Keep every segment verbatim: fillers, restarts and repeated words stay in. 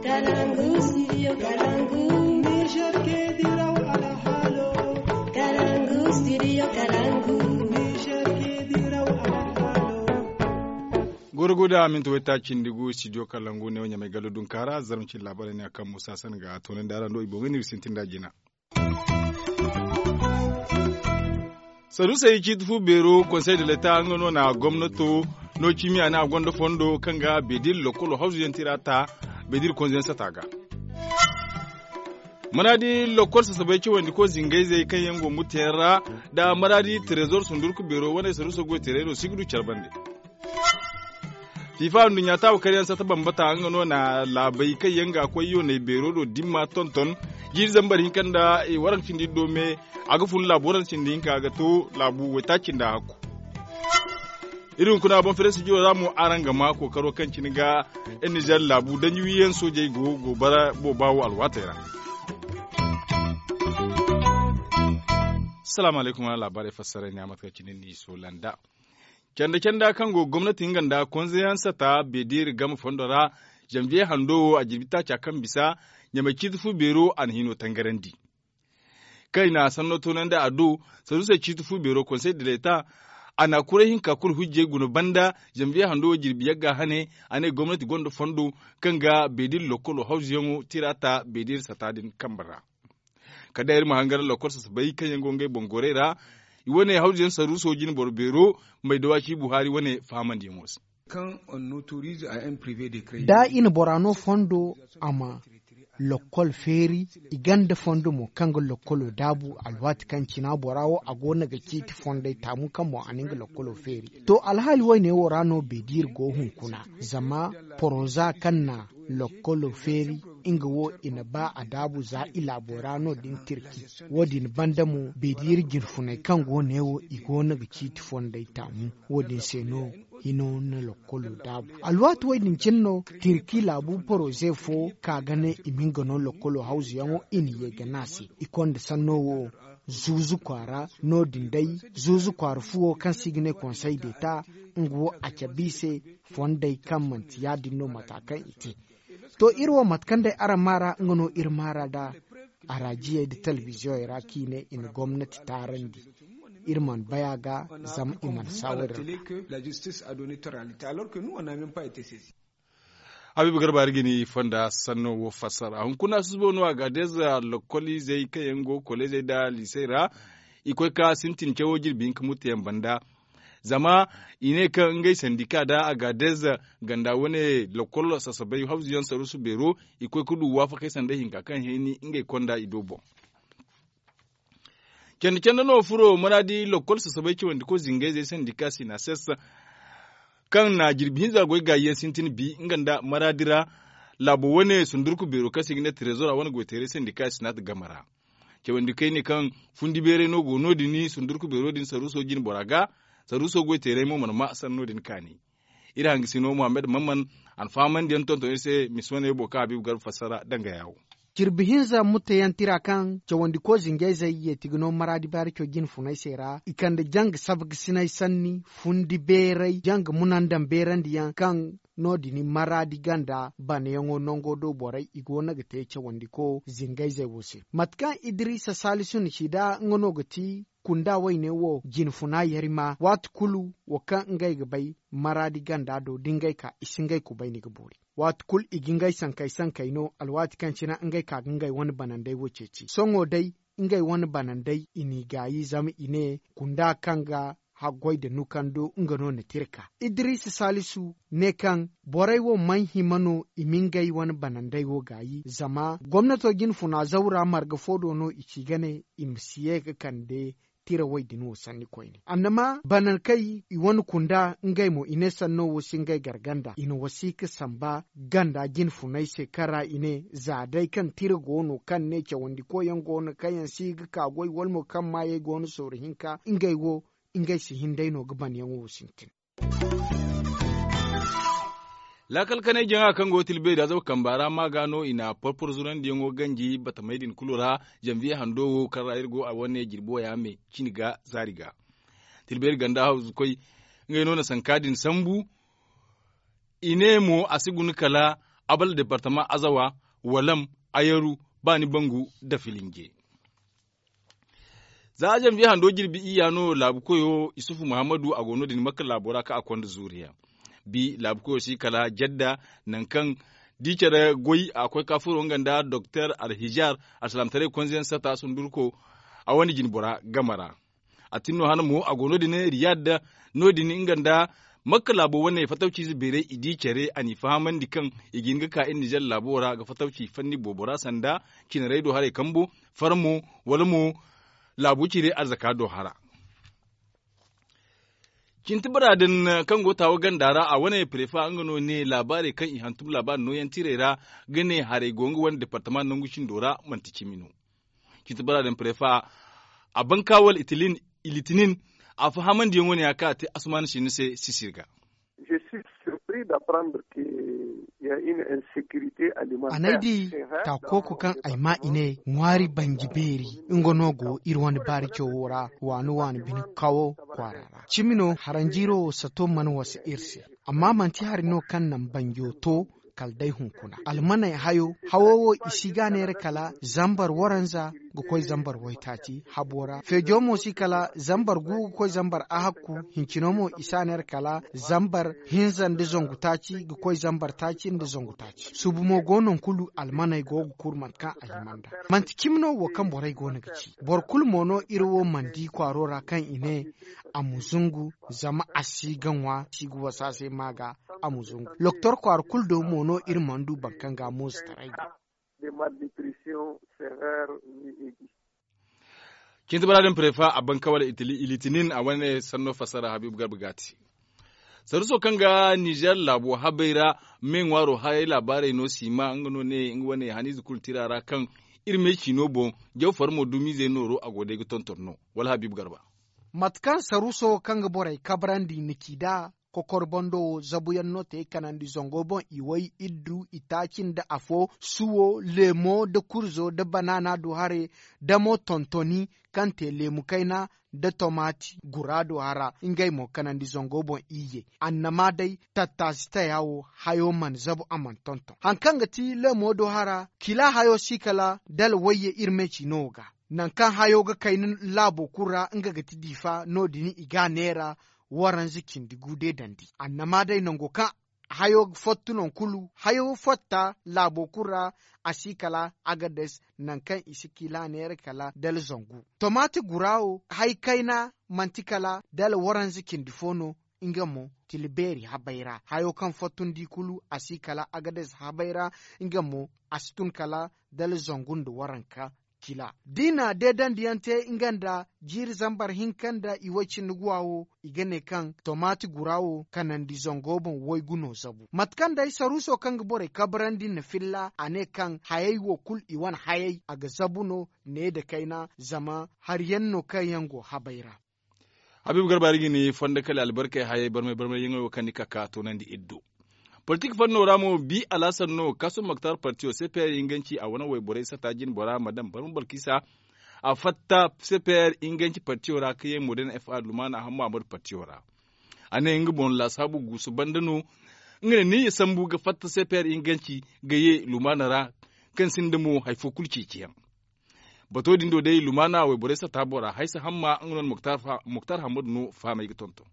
Kalangu, studio Kalangu. Niger ke diraw alhalo. Kalangu, studio Kalangu. Niger ke diraw alhalo. Goro guda minti wayta cindi gu studio Kalangu ne wo ɲamay gallo dunkaara zarma cindi laabaray ne a kaŋ musa san ga toonandi araŋ do i boŋ ga ni ga sintin da jina. Saruusey ciiti fu beero konsey de leta nga no na gomnato no cimi a ne a gonda fondo kaŋ ga bedir lokkolo hawzu yaŋ tira ta bedir konze yaŋ sata ga. Maraadi lokkol sasabay cawandi ko zingayzey kaŋ yaŋ go muteyaŋ ra da maraadi trezor sundurku beero wane saruuso goy teray no si ga du care bande. Fifa nduɲɲa taabu karyaŋ sata bambata nga no na laabay kaŋ yaŋ ga koy yoonay beero do dimma tonton jiiri zambar hinka nda i waranka cindi do me. A ga fun laabu waranka cindi hinka ga to laabu waytaaci nda hakku. Iri hunkuna boŋ fere studio ra mo araŋ ga ma kookaro kaŋ cine ga nizer laabu danji wiyaŋ soojey go go bara booba wo alwaatey ra. Salaamu alaykum wala laabaarey fassaray ne a mate kaŋ cine ni soolanda. Canda canda kaŋ go gomnati nga nda konzeyaŋ sata bedir game fondo ra, zanviye hando wo a jirbi taaca kaŋ bisa ɲamay ciiti fu beero a na hino tangarandi. Kaŋ i na sanno toonandi a do saruusey ciiti fu beero konsey de leta a na kuray hinka kulu hujjey guna banda. Zanviye hando wo jirbi yagga hane a ne gomnati gonda fondo kaŋ ga bedir lokkolo hawzuyaŋo tira ta bedir sata din kambe ra. Kala day iri ma hangar lakkol sasabay kaŋ yaŋ go ngey boŋ gorey ra. I wane hawzuyaŋ saruuso jine boro beero may da waaci buhari wane fahamandiyaŋo se. Da i na bora no fondo a ma lakkol feeri. I gonda fondo mo kaŋ ga lakkolo daabu alwaati kaŋ cina bora wo a go no ga ciiti fondey taamu kaŋ mo a na nga lakkolo feeri. To alhaali woyne wo ra no beediiri go hunkuna zama poroza kaŋ na lakkolo feeri nga wo i na ba a daabu za i laabo ra no- din tirki. Wo- din banda mo beediiri jinfuney kaŋ go ne wo i go no ga ciiti fondey taamu. Wo- din se no hino na lakkolo daabu alwaati wo- din cine no tirki laabu poroze fo ka ga ne i ma nga no lakkolo hawzuyaŋo i na ye ga ne a se. I konda sanno wo zuuzu kwaara no- din day zuuzu kwaara fuwo kaŋ se i ga ne konsey deeta nga wo a cabe i se fondey kaŋ manti ya- din no mata kaŋ i te. To iri wo mate kaŋ day araŋ maara nga no iri maara nda araajiyey nda talbiziyoŋey ra kaŋ i ne i na gomnati taarandi. Iri mana bay a ga zama i mana saawari ra. Habiibu garba iri ga ni fonda sanno wo fassara hunkuna susubo no a ga deeza lokoliizey kaŋ yaŋ go koleezey nda liisey ra. I koy ka sintin cawo jirbi hinka mutteyaŋ banda. Zama i ne kaŋ ngey sandika nda a ga deeza ganda wane lokol sasabay hawzuyaŋ saruusu beero i koy ga du waafakey sanda hinka kaŋ hẽeni ngey konda i do boŋ. Canda canda no furo maraadi lakkol sasabay cawandi ko zingayzey sandika sinases kaŋ na jirbi hinza goy gaayi yaŋ sintin bi nga nda maraadi ra. Laabo wane sundurku beero kaŋ se i ga ne trezor a wane goyteeray sandika sinat game ra. Cawandi kayne kaŋ fundi beeray no go no- din sundurku beero din saruuso jine bora ga. Saruuso goyteeray mo mana ma sanno din kaani. Iri hangasino muhammad mamman a na fahamandi yaŋ tonton iri se misi wane wo boŋ kaŋ habiibu garba fassara danga yaawo. Jirbi hinza mutteyaŋ tira kaŋ cawandi ko zingayzey yeeti ga no maraadi baarico jine funay se ra i kande janga sabgasinay sanni fundi beeray janga munandaŋ beerandiyaŋ kaŋ no- din maraadi ganda banayaŋo nango do borey i go no ga te cawandi ko zingayzey wo se. Mate kaŋ idiriisa saalisu na ci nda nga no ga ti kunda wayne wo jinfuna yarima waati kulu wo kaŋ ngey ga bay maraadi ganda do da ngey ka i si ngey kubayni ga boori. Waati kulu i ga ngey sankey sankey no alwaati kaŋ cine ngey ka ga ngey wane banandey wo ceeci sohõ day ngey wane banandey i n'i gaayi zama i ne kunda kaŋ ga haggoy nda nukando nga no na te iri ka. Idiriisa saalisu ne kaŋ borey wo mana hima no i ma ngey wane banandey wo gaayi zama gomnato jinfuna zawra marga fo do no i ci ga ne i ma si ye ga kande tira way din wo sanni koyne annama banankey i wane kunda ngey mo i ne sanno wo si ngey gar ganda i na wasiika samba ganda jinfunay se kaŋ ra i ne za day kaŋ tira go no kaŋ ne cawandi koyyaŋ go no kaŋ yaŋ si ga ka goy wala mo kaŋ maayey go no sooru hinka ngey wo ngey si hin day no ga banyaŋo wo sintin. Laakal kanay jaŋa kaŋ go ga tilbeeri azaw kamba ra ma ga no i na porporo zurandiyaŋo ganji batamey din kulu ra. Zanviye hando wo kaŋ ra iri go a wane jirbi waya me cini ga zaari ga. Tilbeeri ganda hawzu koy ngey no na sanka din sambu. I ne mo a si guna kala Abal departama azawa, walam, ayaru, baani bangu, nda filinje. Za zanviye hando jirbi iyya no laabu koyo isufu muhammadu a go no- din makka laabo ra kaŋ a konda zuuriyaŋ. Bi laabu koyo si kala jadda, nangu kaŋ di care goy a koy ka furo nga nda doktor alhijar, alsalaamataray konzeyaŋ sata sundurko a wane jinbora game ra. A tin no hana mo a go no- din riyad, no- din nga nda makka laabo wane fatawciize beeray i di care a n'i fahamandi kaŋ i ga hin ga ka iri nizer laabo ra ga fatawci fanni boobo ra sanda cinaray do haray kambo, farmo, wala mo laabu cire arzaka do hara. Cinti bara din kaŋ go taawa ganda ra a wane prefa nga no ne laabaarey kaŋ i hantum laabaari nooyaŋ tirey ra ga ne haray go nga wane departama nangu cindo ra manti cimi no. Cinti bara din prefa a ban ka wala itilin ilitinin a fahamandiyaŋo ne ya kaŋ a te asuman sinni se sisir ga. Je suis surpris d'apprendre que il y a une insécurité alimentaire. A n'ay di taakooku kaŋ ay maa i ne ŋwaari banji beeri nga no go iri wane baari cawo ra waani waani bine kawo kwaara ra cimi no haranjiiro wo sato mana wasa iri se. Amma manti hari no kaŋ naŋ banjo to kala day hunkuna almaney hayo hawo wo i si ga neera kala zambar waranza ga koy zambar waytaaci habo ra feejo mo si kala zambar gu ga koy zambar ahakku hincino mo i si a neera kala zambar hinza nda zangu taaci ga koy zambar taaci nda zangu taaci subu mo go naŋ kulu almaney go ga kuru mate kaŋ a hima nd'a. Manti cimi no wo kaŋ borey go no ga ci boro kulu mo no iri wo mana di kwaaro ra kaŋ i ne a ma zungu zama a si ga ŋwa si ga wasa se ma ga a ma zungu loktor kwaara kulu do mo no iri mana du boro kaŋ ga moozotaray go. Cinti bara din prefa a ban ka wala ilitinin a wane sanno fassara habiibu garba ga a te. Saruso kaŋ ga nizer laabo habay ra me ŋwaaro hayay laabaarey no siima nga no ne nga wane haniize kulu tira ra kaŋ iri me ciino boŋ jaw farmo dumiizey nooro a go day ga tonton no wala habiibu garba. Mate kaŋ saruso kaŋ ga borey kabrandi ni ci nd'a kokor bando wo zabuyaŋ no te kanandi zango boŋ i way iddu itaaci nda afo suwo leemo nda kurzo nda banaana du hare nda mo tontoni kaŋ te leemu kayna nda tomaati guraado hara ngey mo kanandi zango boŋ iyye. Annama day tattaasi taya wo hayo mana zabu a mana tonton hari kaŋ ga ti leemo do hara kila hayo si kala dala wayye iri me ciino wo ga. Nangu kaŋ hayo ga kayna laabo kulu ra nga ga ti diifa no- din i ga a neera waranza cindi gu de dandi annama day nango kaŋ hayo ga fottu naŋ kulu hayo fatta laabo kulu ra a si kala agades nangu kaŋ i si kila neera kala dala zangu. Tomaati gura wo hari kayna manti kala dala waranza cindi fo no nga mo tila beeri habay ra hayo kaŋ fottundi kulu a si kala agades habay ra nga mo a si tun kala dala zangu nda waranka kila da i na deedandiyaŋ te nga nda jiiri zambar hinka nda i way cindi guwa wo i ga ne kaŋ tomaati gura wo kanandi zango boŋ waygu no zabu mate kaŋ day saruuso kaŋ ga borey kabrandi na filla a ne kaŋ hayey wo kulu i wane hayey a ga zabu no ne nda kayna zama hari yaŋ no kaŋ yaŋ go habay ra. Habiibu garba iri ga ni fondo kala albarkey hayey barmay barmay yaŋey wo kaŋ ni ka ka toonandi iri do. Politik fanno ra mo bi alhasan no kaasum moktar partiyo cpr inganci a wane wayborey sata jine bora madam barma balkisa a fatta cpr inganci partiyo ra ka ye modern fa lumaana hamma amadu partiyo ra. A ne nga boŋ laasaabu guusu banda no nga ne ni ya sambu ga fatta cpr inganci ga ye lumaana ra kaŋ sinda mo hari fo kulu ceeciyaŋ. Bato din do day lumaana wayborey sata bora haysa hamma nga no na moktar hammadu no fahamay ga tonton.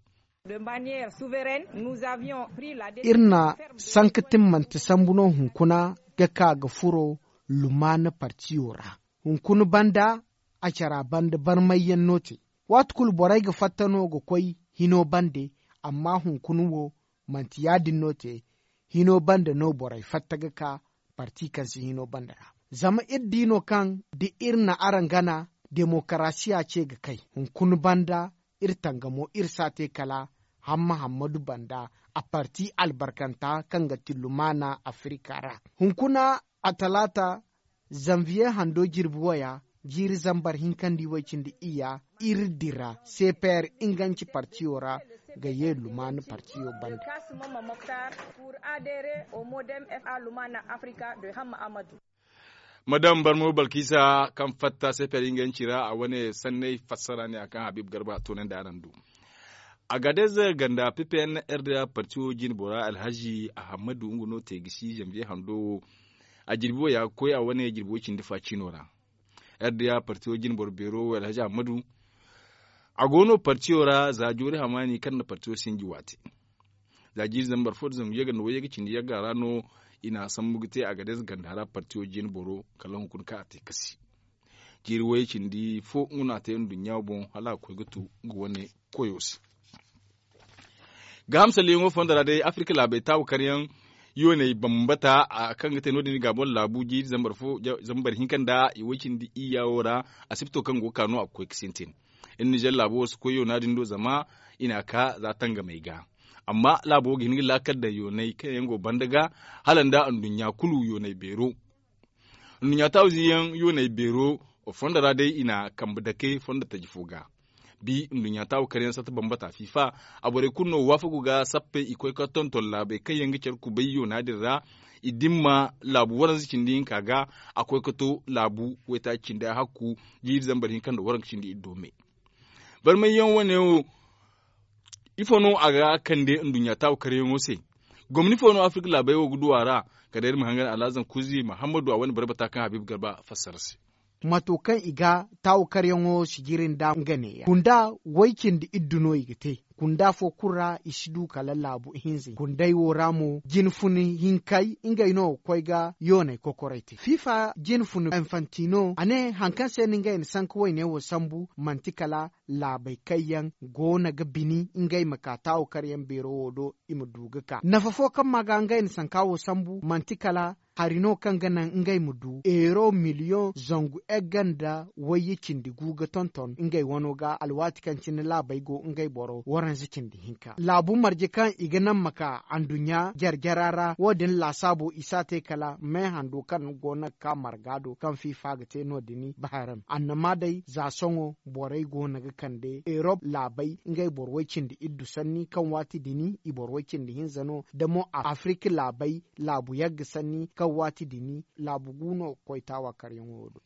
Iri na sanka timmante sambu no hunkuna ga ka ga furo lumaana partiyo ra. Hunkuna banda a cara banda barmayyaŋ no te. Waati kulu borey ga fatta no ga koy hino bande amma hunkuna wo manti ya- din no te. Hino banda no borey fatta ga ka parti kaŋ si hino banda ra. Zama iri di no kaŋ da iri na araŋ gana demokarasiya ce ga kay hunkuna banda iri tangamo iri si a te kala hamma hammadu banda a parti albarkanta kaŋ ga ti lumaana afirika ra. Hunkuna a talaata zanviye hando jirbi waya jiiri zambar hinkandi way cindi iyya iri dira cpr inganci partiyo ra ga ye lumaana partiyo banda. Madam barmo balkisa kaŋ fatta cpr inganci ra a wane sanney fassara ne a kaŋ habib garba toonandi araŋ du. Agadez ganda ppn rda parti wo jine bora alhazi ahammadu nga no te ga si zanbiye hando wo. A jirbi wo ya ga koy a wane jirbi wo cindi fa ciino ra. Rda parti wo jine boro beero wo alhazi ahammadu. A go no partiyo ra za joori hamaani kaŋ na partiyo sinji waate. Za jiiri zambar fo nda zangu yagga nda wayyaga cindi yagga ra no i na a sambu ga te a ga day za ganda ra partiyo jine boro kala hunkuna kaŋ a te kasi. Jiiri wayye cindi fo nga no a te nduɲɲa boŋ hala a ga koy ga tu nga wane koyo se. Gaaham salliyaŋo fondo ra day afirka laabey taawa karyaŋ yooney bambata kaŋ ga te no- din i ga a boŋ laabu jiiri zambar hinka nda i way cindi iyya wo ra. Asibto kaŋ go ga ka no a ga koy ga sintin. Iri nizer laabo wo si koy yoona din do zama i n'a ka za tangamey ga. Amma laabo wo ga hin ga laakal daŋ yooney kaŋ yaŋ go banda ga hala nda nduɲɲa kulu yooney beero. Nduɲɲa taawu ziyaŋ yooney beero fondo ra day i na kambe dake fondo taji fo ga. Bi nduɲɲa taawu kar yaŋ satta bambata fiifa. A borey kulu no waafagu ga sappey i koy ka tonton laabey kaŋ yaŋ ga care kubay yoona din ra. I dimma laabu waranza cindi hinka ga a koy ka to laabu waytaaci cindi a hakku jiiri zambar hinka nda waranka cindi iddo me. Barmayyaŋ wane wo ifo no a ga kande nduɲɲa taawu karyaŋo se? Gomni fo no afirka laabey wo ga du a ra? Kala iri ma hangan alhazan kuzi mahammadu a wane barbata kaŋ habiibu garba fassara se. Mato kaŋ i ga taawu karyaŋo sijiri nda nga neeya kunda way cindi iddu no i ga te. Kunda fo kulu ra i si du kala laabu ihinza kunday wo ra mo jine fun hinkay ngey no ga koy ga yooney kokoray te fiifa jine fun infantino a ne hari kaŋ se no ngey na sanka wayne wo sambu manti kala laabey kaŋ yaŋ go no ga bini ngey ma ka taawu karyaŋ beero wo do i ma du ga ka nafa fo kaŋ ma ga ngey na sanka wo sambu manti kala hari no kaŋ ga naŋ ngey ma du euro miliyoŋ zangu egga nda wayye cindi gu ga tonton ngey wano ga alwaati kaŋ cine laabey go ngey boro waranza cindi hinka laabu marje kaŋ i ga naŋ ma ka anduɲɲa jare jara ra wo- din laasaabo i si a te kala meehando kaŋ go no ga ka marga do kaŋ fiifa ga te no- din baharam annama day za sohõ borey go no ga kande erop laabey ngey boro way cindi iddu sanni kaŋ waati din i boro way cindi hinza no da mo afirka laabey laabu yagga sanni kaŋ waati din laabu gu no ga koy taawa karyaŋo wo do.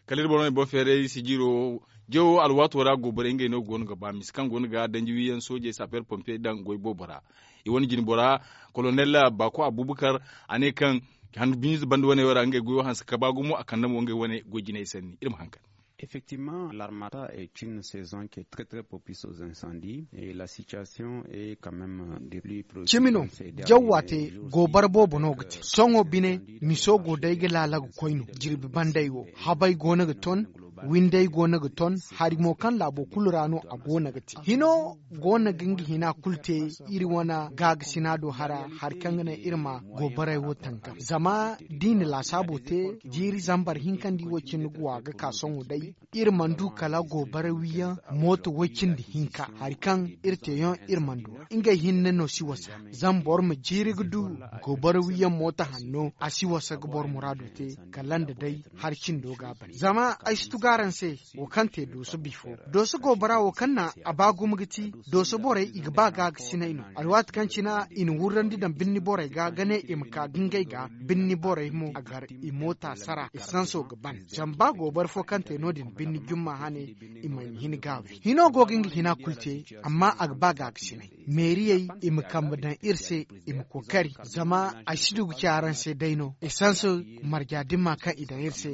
Kala iri boro no i boro feeray sijiro jawo alwaato ra goborey ngey no go no ga ba mise kaŋ go no ga danji wiyaŋ soojey saper pompier daŋ goy boobo ra. I wane jine bora kolonel baako abubakar a ne kaŋ handu biize banda wane wo ra ngey goyo hanse ka ba gumo a kande mo ngey wane goy jinay sanni iri ma haŋ kande. Effectivement l'armata est une saison qui est très très propice aux incendies et la situation est quand même de plus cimi no jawwa te gobar boobo no ga te sohõ bine miso go day ga laala ga koy no jirbi banday wo habay go no ga ton winday go no ga ton hari mo kaŋ laabo kulu ra no a go no ga te hino go no ga nga hina kulu te iri wane gaagasinado hara hari kaŋ ga naŋ iri ma gobaray wo tangam zama da i na laasaabo te jiiri zambar hinkandi wo cine ga wa ga ka sohõ day iri mana du kala gobara wiyaŋ mooto way cindi hinka hari kaŋ iri teeyaŋ iri mana du ngey hinne no si wasa zama boro ma jiiri ga du gobara wiyaŋ mooto hanno a si wasa ga boro muraado te kala nda day hari cindo ga a ban zama ay si tugu araŋ se wo kaŋ te dooso bifo dooso gobara wo kaŋ na a ba gumo ga ti dooso borey i ga ba ga ga sinay no alwaati kaŋ cina i na wurrandi daŋ birni borey ga ga ne i ma ka ga ngey ga birni borey mo a gar i moota sara i sanso ga ban zama ba gobara fo kaŋ te no- din birni jumma hane i ma hin ga wi hino go ga nga hina kulu te amma a ga ba ga ga sinay meeriyey i ma kambe daŋ iri se i ma kookari zama ay si du ga ci araŋ se day no i sanso marja dimma kaŋ i daŋ iri se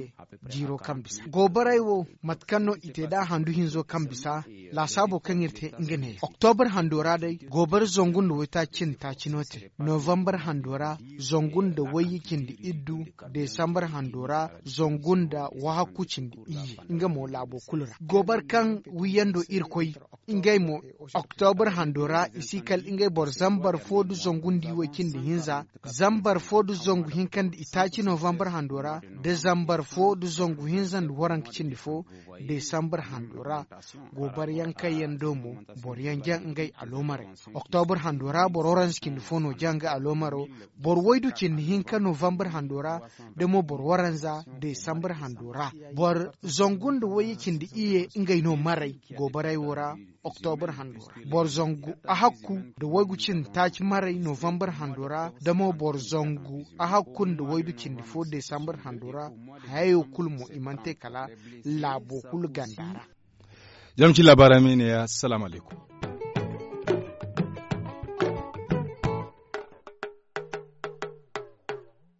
jiiro kaŋ bisa gobaray wo mate kaŋ no i te da handu hinzo kaŋ bisa laasaabo kaŋ iri te nga ne oktobar hando ra day gobar zangu nda waytaaci cindi taaci no te novambar hando ra zangu nda wayye cindi iddu desambar hando ra zangu nda wahakku cindi iyye nga mo laabo kulu ra gobar kaŋ wiyando iri koy ngey mo oktobar hando ra i si kala ngey boro zambar fo da zangu nda iway cindi hinza zambar fo da zangu hinka nda itaaci novambar hando ra da zambar fo da zangu hinza nda waranka cindi fo desambar hando ra gobar yaŋ kaŋ yaŋ do mo boro yaŋ jaŋ ngey aloomarey oktobar hando ra boro waranza cindi fo no jaŋ ngey aloomaro boro waydu cindi hinka novambar hando ra da mo boro waranza desambar hando ra boro zangu nda wayye cindi iyye ngey no maray gobaray wo ra oktobar hando ra boro zangu ahakku nda waygu cindi taaci maray novambar hando ra da mo boro zangu ahakku nda waydu cindi fo desambar hando ra hayayo kulu mo i mana te kala laabo kulu ganda ra. Zama ci laabaara me ne ya salaamu alaykum.